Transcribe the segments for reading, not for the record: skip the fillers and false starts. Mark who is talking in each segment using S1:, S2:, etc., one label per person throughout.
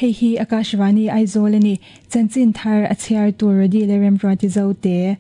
S1: Hei hi Akashvani Aizawl a ni. Chanchin thar a chhiar tur Rody leh Remruati Zote.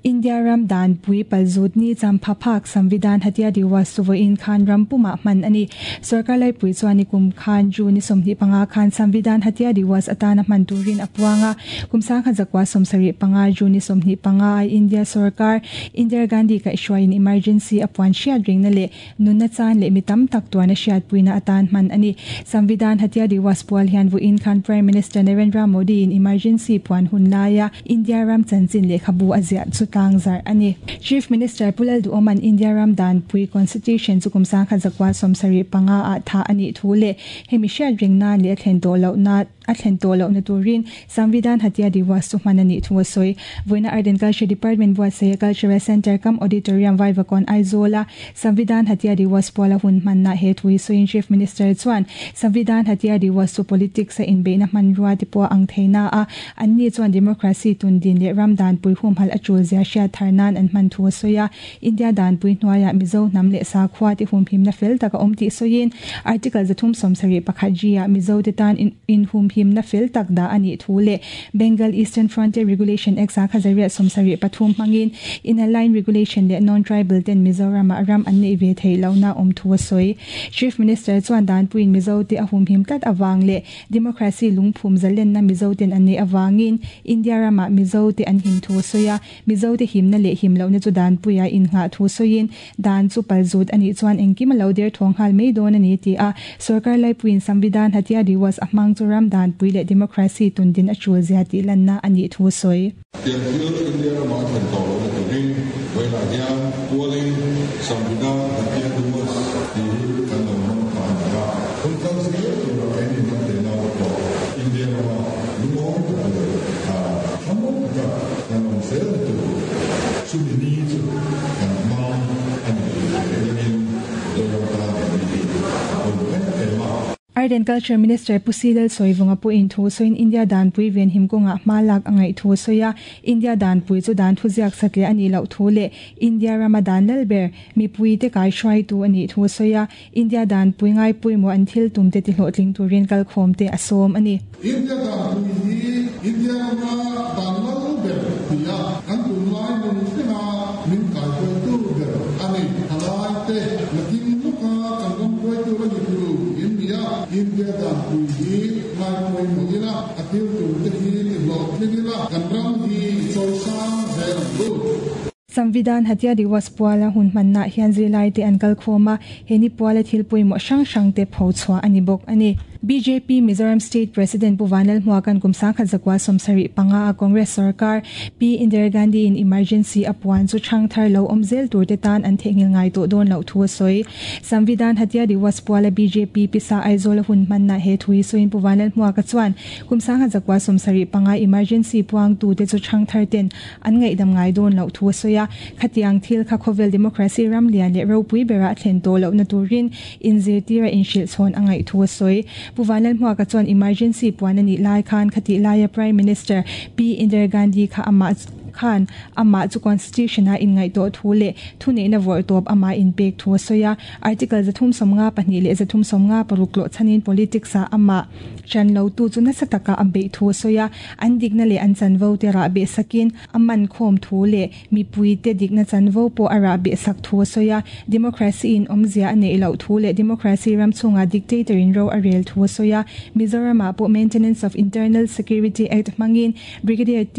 S1: India ram danpui palzut ni champha phak Samvidhan Hatya Diwas chu vawiin khan ram pumah hman a ni. Sorkar laipui chuan nikum khan June ni 25 khan Samvidhan Hatya Diwas atana hman turin a puang a. Kum sangkhat zakua 75 June ni 25 a India sorkar Indira Gandhi kaihhruaiin emergency a puan hriat ringna leh Nunna chan leh mi tam tak tuarna hriatpuina atan hman a ni. Samvidhan Hatya Diwas pual hian vawiin khan Prime Minister Narendra Modi in emergency puan hun laia India ram chanchin lehkhabu a ziah chu tlangzarh a ni. Chief Minister Pu Lalduhoma'n India ram danpui Constitution chu kum 1975 ah thah a nih thu leh hemi hriat reng nan leh a thlen tawh lohna A thlen tawh lohna turin Samvidhan Hatya Diwas chu hman a nih thu a sawi. Vawiina Art and Culture Department buatsaia Cultural Centre kam Auditorium Vaivakawn Aizawla Samvidhan Hatya Diwas puala hun hmanna he thu hi sawiin Chief Minister chuan Samvidhan Hatya Diwas chu politics a inbeihna hmanrua te pawh a ang thei na a, anni chuan democracy tundin leh ram danpui humhalh a tul zia hriat thar nan an hman thu a sawi a. India danpui hnuaiah Mizo hnam leh sakhua te humhimna fel tak a awm tih sawiin Article 371 G ah Mizo te tan inhumhimna fel tak dah a nih thu leh Bengal Eastern Frontier Regulation Act 1973 hmangin Inner Line Regulation leh Non-Tribal ten Mizoramah ram an neih ve theih lohna awm thu a sawi. Chief Minister chuan danpuiin Mizo te a humhim tlat avang leh Democracy lungphum zalenna Mizo ten an neih avangin India ramah Mizo te an him thu a sawi a. Mizote himna leh him lohna chu danpuia innghah thu sawiin, dan chu palzut a nih chuan engkim a lo der thaw nghal mai dawn a ni ti a, sorkar laipuiin Samvidhan Hatya Diwas a hmang chu ram danpui leh democracy tundin a tul zia tih lanna a nih thu sawi.
S2: Tiang thil India ramah a thlen tawh lohna turin vawiinah hian pualin Samvidhan Hatya Diwas tih hi kan lo hmang ta a ni a, hun kal zel tura keini hnam te nau te pawh India rama lungawi tak leh thlamuang taka kan awm zelna tur chumi ni chu kan hmang a ni tih hre rengin Zoram tan he ni hi a pawimawh em em a.
S1: Art and Culture Minister Pu Si Lalsawivunga pawhin thu sawiin India danpui venhim kawngah hma lak a ngaih thu a sawi a, India danpui chu dan thuziak satliah a nih loh thu leh India rama dan lal ber mipuite kaihruaitu a nih thu a sawi a. India danpui ngaipawimawh an thil tumte tihlawhtling turin kalkhawmte a sawm a ni.
S2: India danpui hi India rama dan lal ber ti a, kan tunlai nun thlenga min kaihruaitu ber a ni. Thalaite nakin lawka kan ram hruaitu la ni tur in ni a, India danpui hi ngaipawimawh ila, a thil tumte hi tihlawhtling ila, kan ram hi i chawisang zel ang u.
S1: Samvidhan Hatya Diwas puala hun hmannaah hian zirlaite an kal khawm a, he ni puala thil pawimawh hrang hrangte pho chhuah a ni bawk a ni. Bjp Mizoram State President Pu Vanlalhmuaka'n kum 1975 a Congress sorkar Pi Indira Gandhi in emergency a puan chu chhang thar lo awm zel turte tan an theihnghilh ngai tawh dawn loh thu a sawi. Samvidhan Hatya Diwas puala bjp pisa Aizawl a hun hmannaah he thu hi sawiin Pu Vanlalhmuaka chuan kum 1975 emergency puangtute chu chhang thar ten An ngaihdam ngai dawn loh thu a sawi a, khatiang thil kha khawvel democracy ram lian leh ropui berah a thlen tawh lohna turin inzirtir a inhrilh chhawn a ngaih thu a sawi. Pu Vanlalhmuaka chuan emergency puan a nih lai khan khatih laia Prime Minister Pi Indira Gandhi kha amah khan amah chu Constitution-a inngaihtuah thu leh thuneihna vawrh tawp amah inpek thu a sawi a. Article 352 leh 356 tlawh chhanin politics-ah amah ṭan lotu chu nasa taka a beih thu a sawi a. An dikna leh an chanvo te rah beh sakin a man khawm thu leh mipuite dikna chanvo pawh a rah beh sak thu a sawi a. Democracy in awmzia a neih loh thu leh democracy ram chhungah dictator in ro a rel thu a sawi a. Mizoram ah pawh Maintenance of Internal Security Act hmangin Brigadier T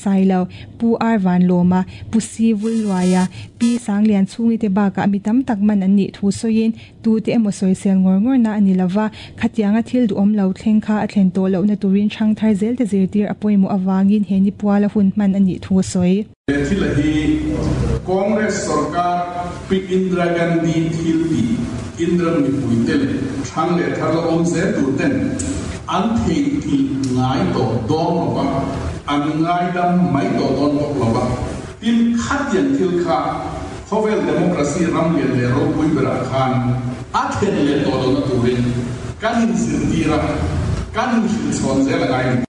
S1: Sailo, Pu R Vanlawma, Pu C Vulluaia, Pi Sanglian chhungi te bakah mi tam tak man an nih thu sawiin Tute emaw sawisel ngawr ngawrna a ni lova, khatianga thil duhawm lo thleng kha a thlen tawh lohna turin hrang thar zelte zirtir a pawimawh avangin he ni puala hun hman a nih thu a sawi.
S3: He thil a hi Congress sorkar Pi Indira Gandhi thil tih Indira mipuite leh hrang leh thar la awm zel tur ten an theihnghilh ngai tawh dawn lova, an ngaidam mai tawh dawn bawk lova. Tin, khatiang thil kha khawvel democracy ram lian leh ropui berah khan a thlen leh tawh lohna turin kan inzirtir a, kan inhrilh chhawn zel a ngai ni.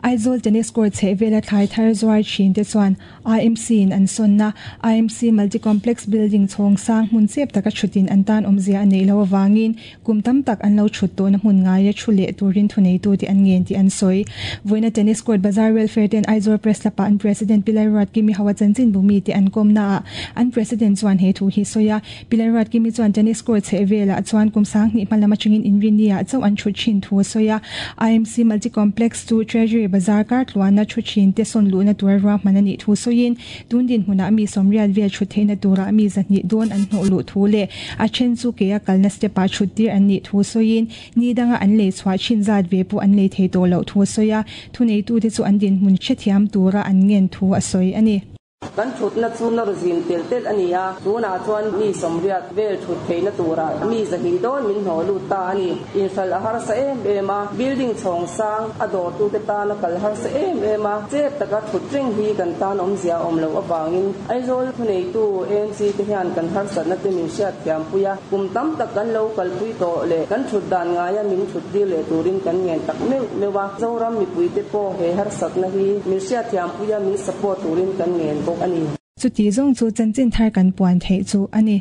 S1: Aizawl Tennis Court chhehvela thlai thar zuar thin te chuan IMC in an sawnna IMC Multi Complex Building chhawng sang hmun chep taka thutin an tan awmzia a neih loh avangin kum tam tak an lo thut tawhna hmun ngaia thu leh turin thuneitute an ngen tih an sawi. Vawiina Tennis Court Bazar Welfare ten Aizawl Press Club-ah an President Pi Lalruatkimi Hawa chanchinbu mite an kawmnaah an President chuan he thu hi sawi a. Pi Lalruatkimi chuan Tennis Court chhehvelah chuan kum 2000 hma lam atangin inrinni-ah chauh an thut thin thu a sawi a. IMC Multi Complex chu Treasury Bazar kar tluana thu thin te sawn luhna tura ruahman a nih thu sawiin tun dinhmunah mi 80 vel thut theihna turah mi 200 dawn an hnawh luh thu leh a then chu ke a kalna step-ah thut tir an nih thu sawiin ni danga an lei chhuah thin zat ve pawh an lei thei tawh loh thu a sawi a. Thuneitute chu an dinhmun hrethiam tura an ngen thu a sawi a ni.
S4: Kan thutna chu nawr zim telh telh a ni a, tunah chuan mi 80 vel thut theihna turah mi 200 dawn min hnawh lut ta a ni. Inhralh a harsa em em a, building chhawng sang a dawrtute tana kal harsa em em a, chep taka thut reng hi kan tan awmzia a awm loh avangin Aizawl thuneitu AMC te hian kan harsatna te min hriatthiam pui a, kum tam tak kan lo kalpui tawh leh kan thut dan ngaia min thut tir leh turin kan ngen tak meuh meuh a, Zoram mipuite pawh he harsatna hi min hriatthiam pui a, min support turin kan ngen bawk a ni.
S1: Chuti zawng chu chanchin thar kan puan theih chu a ni.